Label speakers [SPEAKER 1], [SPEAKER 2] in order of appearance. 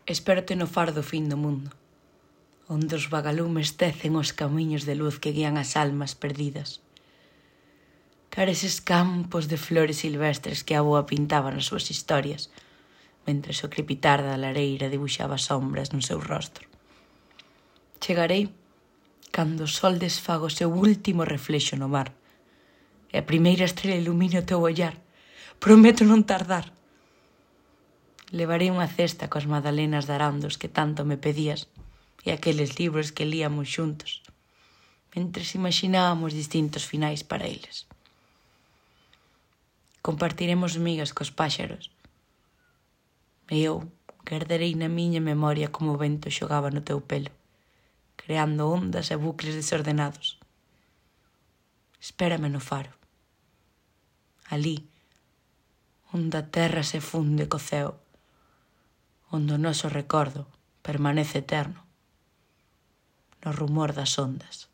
[SPEAKER 1] Espérote no faro do fin do mundo, onde os vagalumes tecen os camiños de luz que guían as almas perdidas. Cara eses campos de flores silvestres que a avoa pintaba nas súas historias, mentres o crepitar da lareira dibuixaba sombras no seu rostro. Chegarei cando o sol desfaga o seu último reflexo no mar e a primeira estrela ilumine o teu ollar. Prometo non tardar. Levarei unha cesta coas magdalenas de arandos que tanto me pedías e aqueles libros que líamos xuntos, mentres imaginábamos distintos finais para eles. Compartiremos migas cos páxaros e eu guardarei na miña memoria como o vento xogaba no teu pelo, creando ondas e bucles desordenados. Espérame no faro, alí, onde a terra se funde co ceo, onde o noso recordo permanece eterno no rumor das ondas.